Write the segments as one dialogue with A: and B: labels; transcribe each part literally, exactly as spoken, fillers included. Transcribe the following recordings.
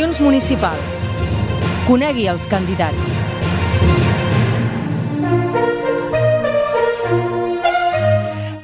A: Eleccions municipals. Conegui els candidats.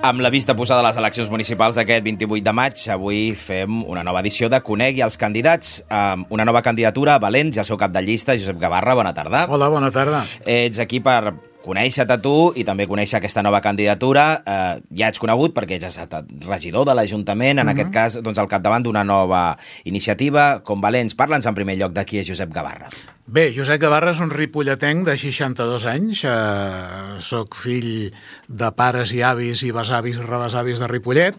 B: Amb la vista posada a les eleccions municipals d'aquest vint-i-vuit de maig, avui fem una nova edició de Conegui els candidats, amb una nova candidatura a Valens i el seu cap de llista, Josep Gavarra. Bona tarda.
C: Hola, bona tarda.
B: Ets aquí per conèixer-te tu i també conèixer aquesta nova candidatura. Eh, ja ets conegut perquè ja has estat regidor de l'Ajuntament, en uh-huh. aquest cas doncs, al capdavant d'una nova iniciativa com Valens. Parla'ns en primer lloc de qui és Josep Gavarra.
C: Bé, Josep Gavarra és un ripolletenc de seixanta-dos anys. Eh, soc fill de pares i avis i besavis i rebesavis de Ripollet,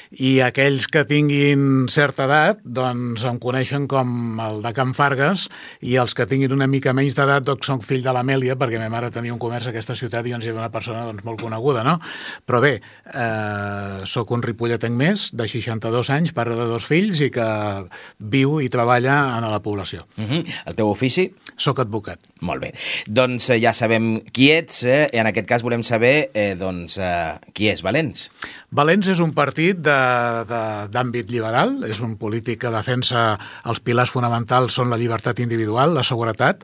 C: i aquells que tinguin certa edat doncs em coneixen com el de Can Fargues, i els que tinguin una mica menys d'edat doncs soc fill de l'Amèlia, perquè ma mare tenia un comerç a aquesta ciutat i doncs era una persona doncs, molt coneguda, no? Però bé, eh, soc un ripolletenc més de seixanta-dos anys, pare de dos fills i que viu i treballa a la població.
B: Uh-huh. El teu ofici?
C: Soc advocat.
B: Molt bé. Doncs eh, ja sabem qui ets, eh? I en aquest cas volem saber eh, doncs, eh, qui és Valens.
C: Valens és un partit de d'àmbit liberal, és un polític que defensa els pilars fonamentals, són la llibertat individual, la seguretat,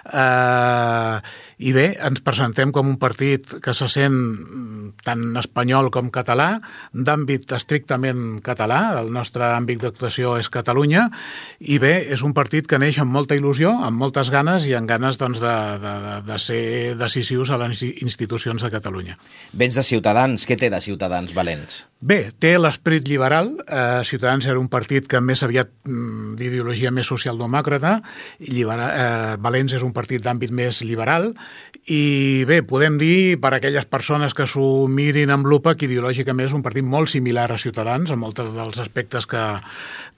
C: eh, i bé, ens presentem com un partit que se sent tant espanyol com català, d'àmbit estrictament català, el nostre àmbit d'actuació és Catalunya, i bé, és un partit que neix amb molta il·lusió, amb moltes ganes i amb ganes doncs, de, de, de ser decisius a les institucions de Catalunya.
B: Vens de Ciutadans, què té de Ciutadans Valens?
C: Bé, té l'esperit liberal. Eh, Ciutadans era un partit que més aviat d'ideologia més socialdemòcrata, i libera, eh, Valens és un partit d'àmbit més liberal, i bé, podem dir per a aquelles persones que s'ho mirin amb lupa que ideològicament és un partit molt similar a Ciutadans en molts dels aspectes que,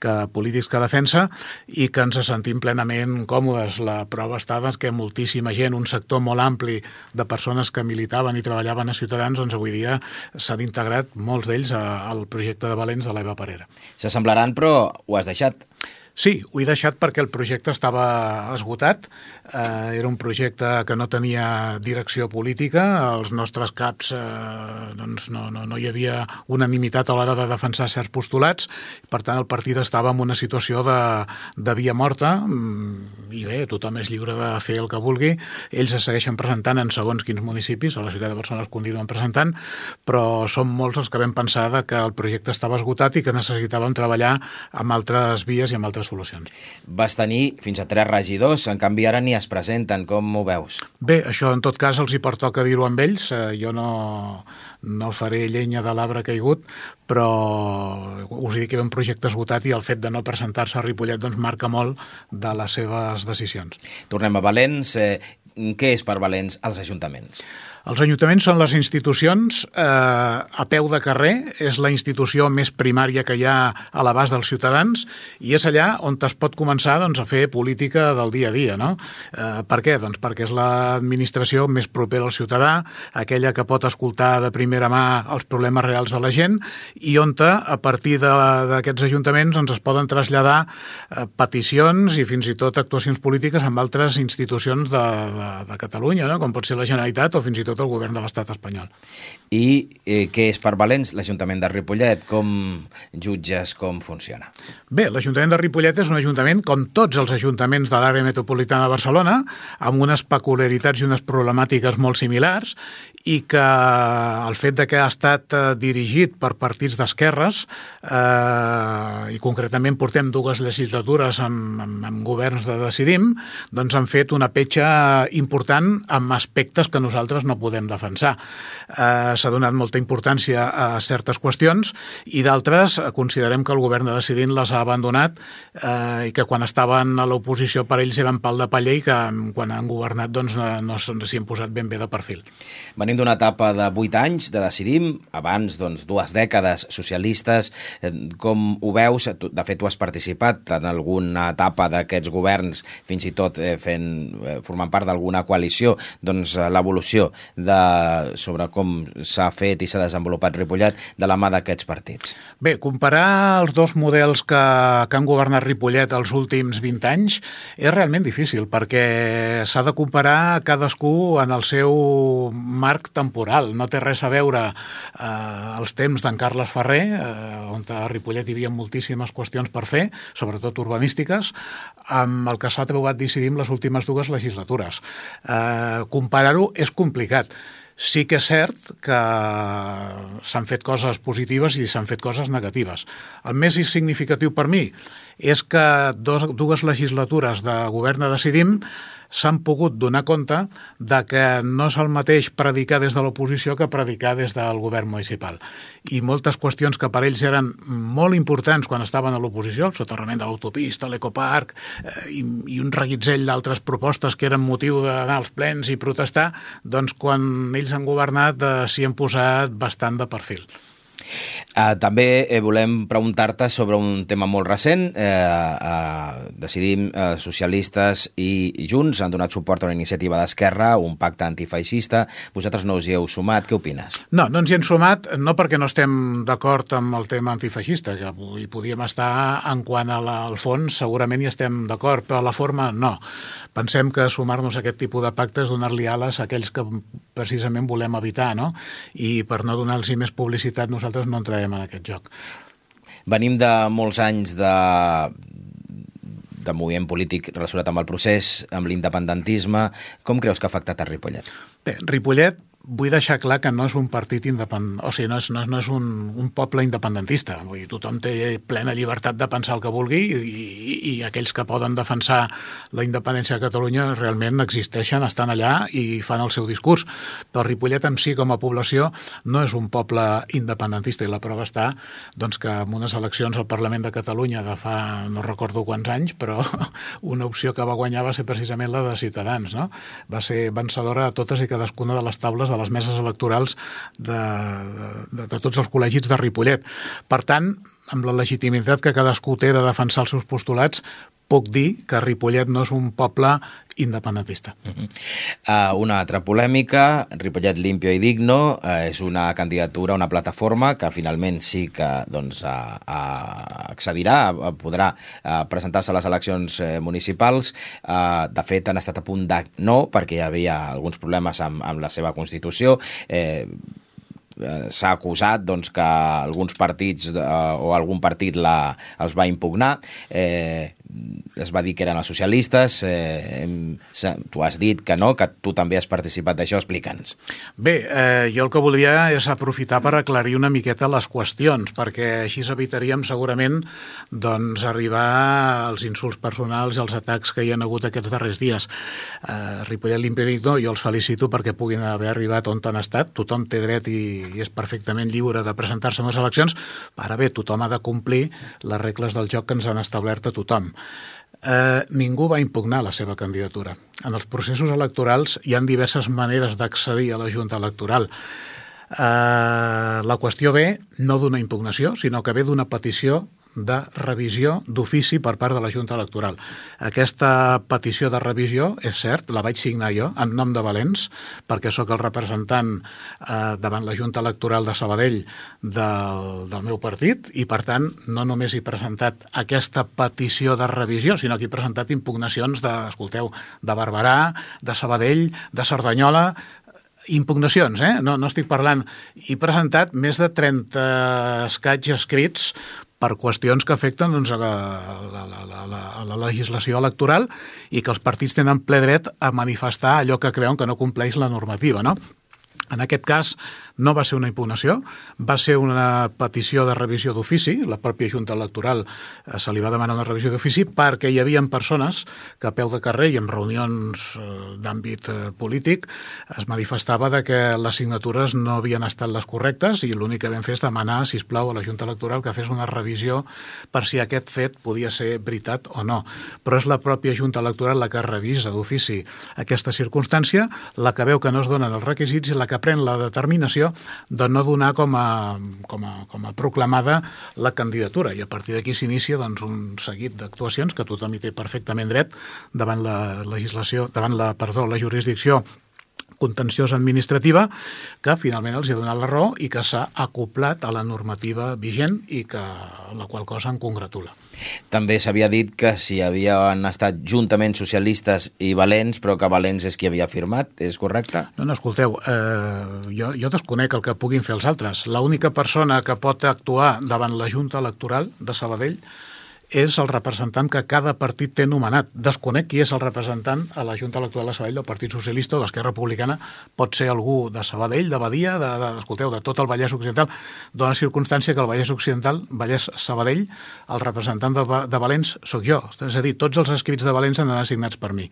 C: que polítics que defensa, i que ens sentim plenament còmodes. La prova està doncs, que moltíssima gent, un sector molt ampli de persones que militaven i treballaven a Ciutadans, doncs avui dia s'han integrat molts d'ells al projecte de Valens de l'Eva Parera.
B: S'assemblaran, però ho has deixat.
C: Sí, ho he deixat perquè el projecte estava esgotat. Eh, era un projecte que no tenia direcció política. Els nostres caps eh, doncs no, no, no hi havia unanimitat a l'hora de defensar certs postulats. Per tant, el partit estava en una situació de, de via morta, i bé, tothom és lliure de fer el que vulgui. Ells es segueixen presentant en segons quins municipis, a la ciutat de Barcelona es continuen presentant, però som molts els que vam pensar que el projecte estava esgotat i que necessitàvem treballar amb altres vies i amb altres solucions.
B: Vas tenir fins a tres regidors, en canvi ara ni es presenten. Com ho veus?
C: Bé, això en tot cas els hi pertoca dir-ho amb ells. Eh, jo no, no faré llenya de l'arbre caigut, però us he dit que hi ha un projecte esgotat i el fet de no presentar-se a Ripollet doncs marca molt de les seves decisions.
B: Tornem a Valens. Eh, què és per Valens els ajuntaments?
C: Els ajuntaments són les institucions eh, a peu de carrer, és la institució més primària que hi ha a l'abast dels ciutadans, i és allà on es pot començar doncs, a fer política del dia a dia. No? Eh, per què? Doncs perquè és l'administració més propera al ciutadà, aquella que pot escoltar de primera mà els problemes reals de la gent, i on a partir d'aquests ajuntaments doncs, es poden traslladar eh, peticions i fins i tot actuacions polítiques amb altres institucions de, de, de Catalunya, no? Com pot ser la Generalitat o fins i tot tot el govern de l'estat espanyol.
B: I eh, què és per Valens l'Ajuntament de Ripollet? Com jutges com funciona?
C: Bé, l'Ajuntament de Ripollet és un ajuntament com tots els ajuntaments de l'àrea metropolitana de Barcelona, amb unes peculiaritats i unes problemàtiques molt similars, i que el fet de que ha estat eh, dirigit per partits d'esquerres, eh, i concretament portem dues legislatures amb, amb, amb governs de Decidim, doncs han fet una petja important amb aspectes que nosaltres no podem defensar. Eh, s'ha donat molta importància a certes qüestions i d'altres considerem que el govern de Decidim les ha abandonat eh, i que quan estaven a l'oposició per ells eren pal de paller i que quan han governat doncs, no, no s'hi han posat ben bé de perfil.
B: Venim d'una etapa de vuit anys de Decidim, abans doncs, dues dècades socialistes. Com ho veus? De fet, tu has participat en alguna etapa d'aquests governs, fins i tot eh, fent, eh, formant part d'alguna coalició. Doncs l'evolució de, sobre com s'ha fet i s'ha desenvolupat Ripollet de la mà d'aquests partits.
C: Bé, comparar els dos models que, que han governat Ripollet els últims vint anys és realment difícil, perquè s'ha de comparar cadascú en el seu marc marc temporal, no té res a veure eh, els temps d'en Carles Ferrer, eh, on a Ripollet hi havia moltíssimes qüestions per fer, sobretot urbanístiques, amb el que s'ha trobat decidir en les últimes dues legislatures. Eh, comparar-ho és complicat. Sí que és cert que s'han fet coses positives i s'han fet coses negatives. El més significatiu per mi és que dos, dues legislatures de govern de Decidim s'han pogut donar compte de que no és el mateix predicar des de l'oposició que predicar des del govern municipal. I moltes qüestions que per ells eren molt importants quan estaven a l'oposició, el soterrament de l'autopista, l'ecoparc eh, i, i un reguitzell d'altres propostes que eren motiu d'anar als plens i protestar, doncs quan ells han governat eh, s'hi han posat bastant de perfil.
B: Uh, també eh, volem preguntar-te sobre un tema molt recent. Eh, uh, Decidim, uh, socialistes i, i Junts han donat suport a una iniciativa d'Esquerra, un pacte antifeixista. Vosaltres no us hi heu sumat, què opines?
C: No, no ens hi hem sumat, no perquè no estem d'acord amb el tema antifeixista, que hi podíem estar en quant al fons, segurament hi estem d'acord, però a la forma no. Pensem que sumar-nos a aquest tipus de pactes és donar-li ales a aquells que precisament volem evitar, no? I per no donar-los més publicitat nosaltres no entrarem en aquest joc.
B: Venim de molts anys de, de moviment polític relacionat amb el procés, amb l'independentisme. Com creus que ha afectat a Ripollet?
C: Bé, Ripollet, vull deixar clar que no és un partit independent, o sigui, no és, no és, no és un, un poble independentista. Vull dir, tothom té plena llibertat de pensar el que vulgui i, i, i aquells que poden defensar la independència de Catalunya realment existeixen, estan allà i fan el seu discurs. Però Ripollet en si, com a població, no és un poble independentista i la prova està doncs, que en unes eleccions al Parlament de Catalunya de fa no recordo quants anys, però una opció que va guanyar va ser precisament la de Ciutadans, no? Va ser vencedora a totes i cadascuna de les taules de les meses electorals de, de, de tots els col·legis de Ripollet. Per tant, amb la legitimitat que cadascú té de defensar els seus postulats, puc dir que Ripollet no és un poble independentista.
B: Uh-huh. uh, una altra polèmica, Ripollet Limpio i Digno, uh, és una candidatura, una plataforma que finalment sí que doncs, uh, uh, accedirà, uh, podrà uh, presentar-se a les eleccions uh, municipals. Uh, de fet, han estat a punt de no, perquè hi havia alguns problemes amb, amb la seva constitució. Eh, s'ha acusat doncs, que alguns partits eh, o algun partit la, els va impugnar. Eh, es va dir que eren els socialistes. Eh, tu has dit que no, que tu també has participat d'això. Explica'ns.
C: Bé, eh, jo el que volia és aprofitar per aclarir una miqueta les qüestions, perquè així evitaríem segurament doncs, arribar als insults personals i als atacs que hi ha hagut aquests darrers dies. Eh, Ripollet Limpio i Digno, jo els felicito perquè puguin haver arribat on han estat. Tothom té dret i, i és perfectament lliure de presentar-se en les eleccions. Ara bé, tothom ha de complir les regles del joc que ens han establert a tothom. Eh, ningú va impugnar la seva candidatura. En els processos electorals hi ha diverses maneres d'accedir a la Junta Electoral. Eh, la qüestió ve no d'una impugnació, sinó que ve d'una petició de revisió d'ofici per part de la Junta Electoral. Aquesta petició de revisió, és cert, la vaig signar jo en nom de Valens, perquè sóc el representant eh, davant la Junta Electoral de Sabadell del, del meu partit i, per tant, no només he presentat aquesta petició de revisió, sinó que he presentat impugnacions de, escolteu, de Barberà, de Sabadell, de Cerdanyola, impugnacions, eh? No, no estic parlant. He presentat més de trenta escaig escrits per qüestions que afecten doncs, a, la, a, la, a, la, a la legislació electoral i que els partits tenen ple dret a manifestar allò que creuen que no compleix la normativa, no? En aquest cas no va ser una impugnació, va ser una petició de revisió d'ofici. La pròpia Junta Electoral eh, se li va demanar una revisió d'ofici perquè hi havia persones que a peu de carrer i en reunions eh, d'àmbit eh, polític es manifestava de que les signatures no havien estat les correctes i l'únic que vam fer és demanar, sisplau, a la Junta Electoral que fes una revisió per si aquest fet podia ser veritat o no. Però és la pròpia Junta Electoral la que revisa d'ofici aquesta circumstància, la que veu que no es donen els requisits i la que pren la determinació de no donar com a, com a, com a proclamada la candidatura. I a partir d'aquí s'inicia doncs, un seguit d'actuacions que tothom hi té perfectament dret davant la legislació, davant la, perdó, la jurisdicció contenciosa administrativa que finalment els ha donat la raó i que s'ha acoplat a la normativa vigent i que la qual cosa em congratula.
B: També s'havia dit que si havien estat juntament socialistes i Valens, però que Valens és qui havia firmat, és correcte?
C: No, no, escolteu, eh, jo, jo desconec el que puguin fer els altres. L'única persona que pot actuar davant la Junta Electoral de Sabadell és el representant que cada partit té nomenat. Desconec qui és el representant a la Junta Electoral de Sabadell del Partit Socialista o d'Esquerra Republicana. Pot ser algú de Sabadell, de Badia, de, de, escolteu, de tot el Vallès Occidental. Dóna circumstància que el Vallès Occidental, Vallès Sabadell, el representant de, de Valens sóc jo. És a dir, tots els escrits de Valens han d'anar assignats per mi.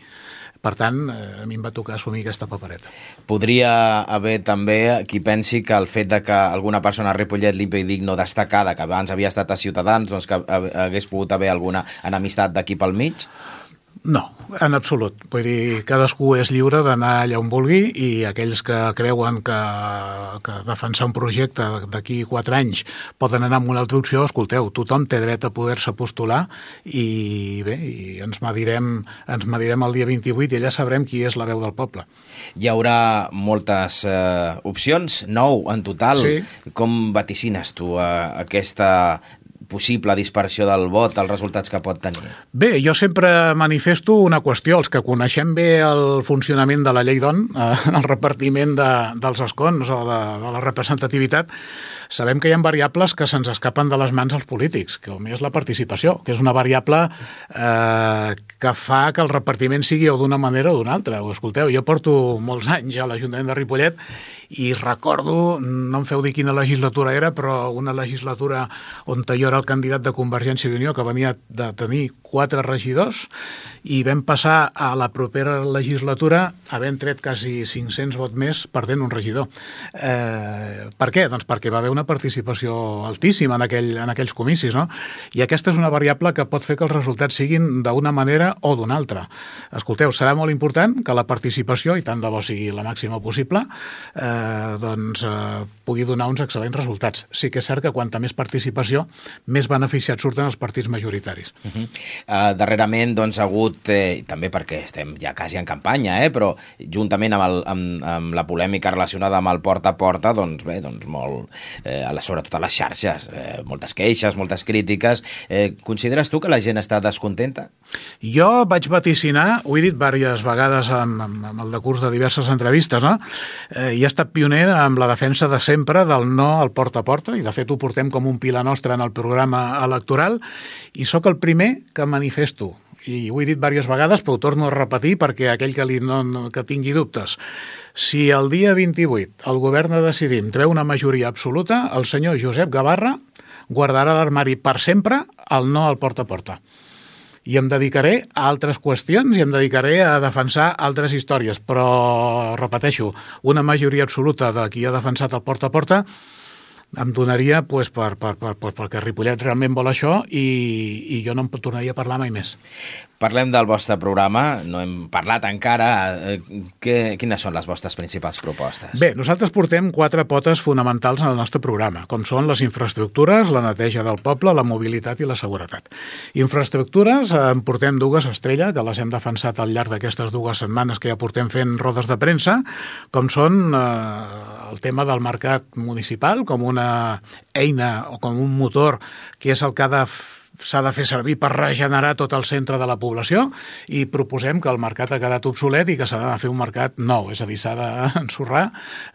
C: Per tant, a mi em va tocar assumir aquesta papereta.
B: Podria haver també qui pensi que el fet de que alguna persona a Ripollet li digui no destacada, que abans havia estat a Ciutadans, doncs que hagués pogut haver alguna enemistat d'aquí pel mig?
C: No, en absolut. Vull dir, cadascú és lliure d'anar allà on vulgui i aquells que creuen que, que defensar un projecte d'aquí quatre anys poden anar amb una altra opció, escolteu, tothom té dret a poder-se postular i bé, i ens medirem, ens medirem el dia vint-i-vuit i allà sabrem qui és la veu del poble.
B: Hi haurà moltes eh, opcions, nou en total.
C: Sí. Com
B: vaticines tu eh, aquesta possible dispersió del vot, els resultats que pot tenir?
C: Bé, jo sempre manifesto una qüestió. Els que coneixem bé el funcionament de la llei d'On, eh, el repartiment de, dels escons o de, de la representativitat, sabem que hi ha variables que se'ns escapen de les mans als polítics, que com és la participació, que és una variable eh, que fa que el repartiment sigui o d'una manera o d'una altra. O, escolteu, jo porto molts anys a l'Ajuntament de Ripollet i recordo, no em feu dir quina legislatura era, però una legislatura on jo era el candidat de Convergència i Unió, que venia de tenir quatre regidors, i vam passar a la propera legislatura havent tret quasi cinc-cents vots més perdent un regidor. Eh, per què? Doncs perquè va haver una participació altíssima en, aquell, en aquells comicis, no? I aquesta és una variable que pot fer que els resultats siguin d'una manera o d'una altra. Escolteu, serà molt important que la participació, i tant de bo sigui la màxima possible, eh, doncs eh, pugui donar uns excel·lents resultats. Sí que és cert que quanta més participació, més beneficiats surten els partits majoritaris.
B: Uh -huh. uh, darrerament, doncs, ha hagut, eh, també perquè estem ja quasi en campanya, eh, però juntament amb, el, amb, amb la polèmica relacionada amb el porta a porta, doncs bé, doncs molt, eh, sobretot a les xarxes, eh, moltes queixes, moltes crítiques. Eh, consideres tu que la gent està descontenta?
C: Jo vaig vaticinar, ho he dit diverses vegades amb, amb, amb el decurs de diverses entrevistes, no? Eh, i he estat pioner amb la defensa de sempre del no al porta a porta, i de fet ho portem com un pilar nostre en el programa electoral, i sóc el primer que manifesto, i ho he dit diverses vegades, però ho torno a repetir perquè aquell que, li no, no, que tingui dubtes. Si el dia vint-i-vuit el govern de Decidim treu una majoria absoluta, el senyor Josep Gavarra guardarà l'armari per sempre el no al porta a porta. I em dedicaré a altres qüestions i em dedicaré a defensar altres històries, però, repeteixo, una majoria absoluta de qui ha defensat el porta a porta em donaria pues, per, per, per, per, perquè Ripollet realment vol això i, i jo no em tornaria a parlar mai més.
B: Parlem del vostre programa, no hem parlat encara. Que, quines són les vostres principals propostes?
C: Bé, nosaltres portem quatre potes fonamentals en el nostre programa, com són les infraestructures, la neteja del poble, la mobilitat i la seguretat. Infraestructures, en portem dues estrelles, que les hem defensat al llarg d'aquestes dues setmanes que ja portem fent rodes de premsa, com són eh, el tema del mercat municipal, com una eina o com un motor que és el que ha de s'ha de fer servir per regenerar tot el centre de la població, i proposem que el mercat ha quedat obsolet i que s'ha de fer un mercat nou, és a dir, s'ha d'ensorrar,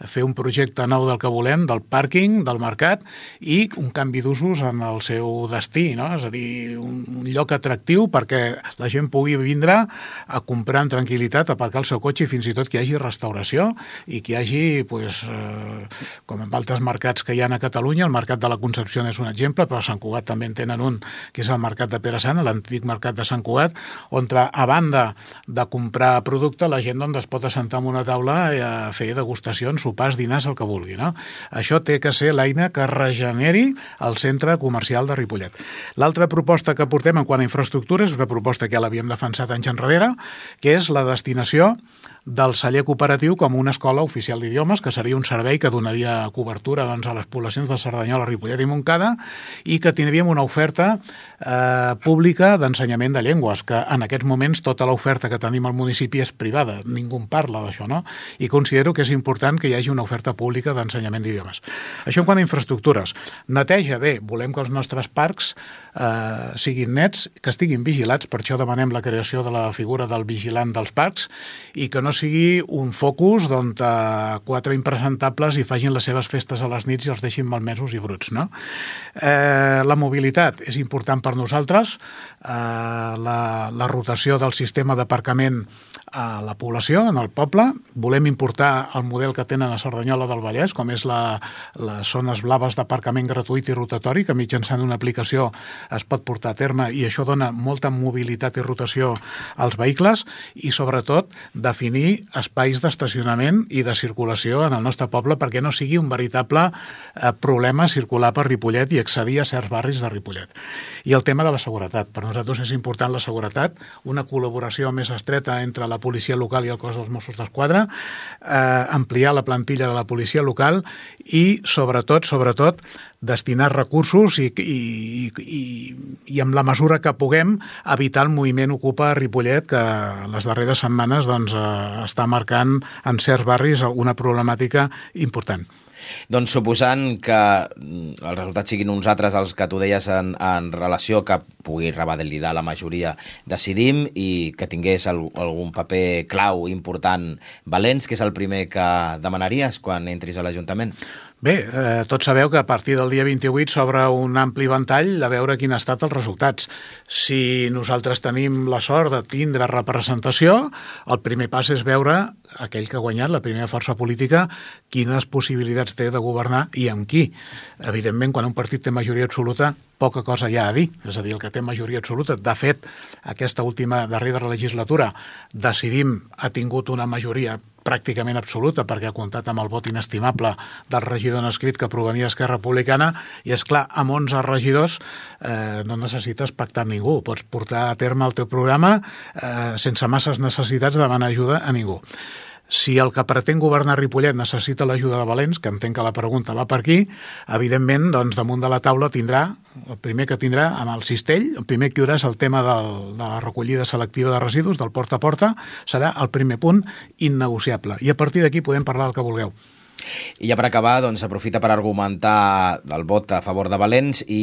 C: fer un projecte nou del que volem, del pàrquing, del mercat, i un canvi d'usos en el seu destí, no? És a dir, un, un lloc atractiu perquè la gent pugui vindre a comprar en tranquil·litat, aparcar el seu cotxe, i fins i tot que hi hagi restauració i que hi hagi, pues, eh, com en altres mercats que hi ha a Catalunya, el mercat de la Concepció és un exemple, però a Sant Cugat també en tenen un, que és el mercat de Pere Sant, l'antic mercat de Sant Cugat, on a banda de comprar producte, la gent doncs, es pot assentar en una taula a fer degustacions, sopars, dinars, el que vulgui, no? Això té que ser l'eina que regeneri el centre comercial de Ripollet. L'altra proposta que portem en quant a infraestructures és una proposta que ja l'havíem defensat anys enrere, que és la destinació del celler cooperatiu com una escola oficial d'idiomes, que seria un servei que donaria cobertura doncs, a les poblacions de Cerdanyola, Ripollet i Montcada, i que tindríem una oferta eh, pública d'ensenyament de llengües, que en aquests moments tota l'oferta que tenim al municipi és privada, ningú en parla d'això, no? I considero que és important que hi hagi una oferta pública d'ensenyament d'idiomes. Això en quant a infraestructures. Neteja, bé, volem que els nostres parcs eh, siguin nets, que estiguin vigilats, per això demanem la creació de la figura del vigilant dels parcs i que no sigui un focus d'on eh, quatre impresentables hi facin les seves festes a les nits i els deixin malmesos i bruts, no? Eh, la mobilitat és important per nosaltres, eh, la, la rotació del sistema d'aparcament a la població, en el poble. Volem importar el model que tenen a Cerdanyola del Vallès, com és la, les zones blaves d'aparcament gratuït i rotatori, que mitjançant una aplicació es pot portar a terme i això dona molta mobilitat i rotació als vehicles i, sobretot, definir espais d'estacionament i de circulació en el nostre poble perquè no sigui un veritable eh, problema circular per Ripollet i accedir a certs barris de Ripollet. I el tema de la seguretat. Per nosaltres és important la seguretat, una col·laboració més estreta entre la policia local i el cos dels Mossos d'Esquadra, eh, ampliar la plantilla de la policia local i, sobretot, sobretot, destinar recursos i, i, i, i amb la mesura que puguem evitar el moviment Ocupa a Ripollet, que les darreres setmanes doncs, eh, està marcant en certs barris una problemàtica important.
B: Doncs suposant que els resultats siguin uns altres els que tu deies en, en relació que pugui revalidar la majoria, decidim, i que tingués el, algun paper clau important Valens, que és el primer que demanaries quan entris a l'Ajuntament?
C: Bé, eh, tots sabeu que a partir del dia vint-i-vuit s'obre un ampli ventall de veure quin ha estat els resultats. Si nosaltres tenim la sort de tindre representació, el primer pas és veure aquell que ha guanyat, la primera força política, quines possibilitats té de governar i amb qui. Evidentment, quan un partit té majoria absoluta, poca cosa hi ha a dir, és a dir, el que té majoria absoluta. De fet, aquesta última darrera legislatura, Decidim ha tingut una majoria pràcticament absoluta perquè ha comptat amb el vot inestimable del regidor no escrit que provenia d'Esquerra Republicana i, és clar, amb onze regidors eh, no necessites pactar amb ningú, pots portar a terme el teu programa eh, sense masses necessitats de demanar ajuda a ningú. Si el que pretén governar Ripollet necessita l'ajuda de Valens, que entenc que la pregunta va per aquí, evidentment, doncs, damunt de la taula tindrà, el primer que tindrà amb el cistell, el primer que hi haurà és el tema del, de la recollida selectiva de residus, del porta a porta, serà el primer punt innegociable. I a partir d'aquí podem parlar del que vulgueu.
B: I ja per acabar, doncs, aprofita per argumentar el vot a favor de Valens i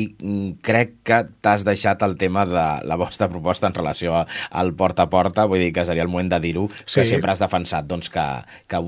B: crec que t'has deixat el tema de la vostra proposta en relació al porta a porta, vull dir que seria el moment de dir-ho, que sí. Sempre has defensat doncs, que, que,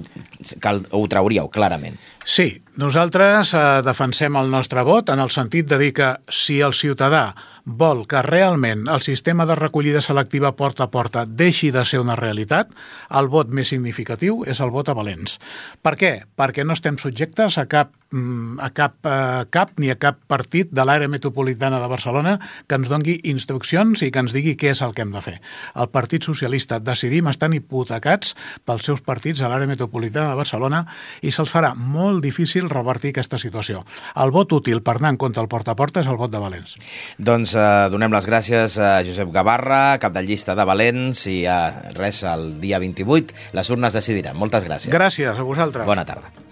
B: que ho trauríeu clarament.
C: Sí, nosaltres eh, defensem el nostre vot en el sentit de dir que si el ciutadà vol que realment el sistema de recollida selectiva porta a porta deixi de ser una realitat, el vot més significatiu és el vot a Valens. Per què? Perquè no estem subjectes a cap, a cap, a cap ni a cap partit de l'àrea metropolitana de Barcelona que ens doni instruccions i que ens digui què és el que hem de fer. El Partit Socialista, Decidim, estan hipotecats pels seus partits a l'àrea metropolitana de Barcelona i se'ls farà molt difícil revertir aquesta situació. El vot útil per anar en compte al porta a porta és el vot de Valens.
B: Doncs eh, donem les gràcies a Josep Gavarra, cap de llista de Valens, i eh, res, el dia vint-i-vuit les urnes decidiran. Moltes gràcies.
C: Gràcies a vosaltres.
B: Bona tarda.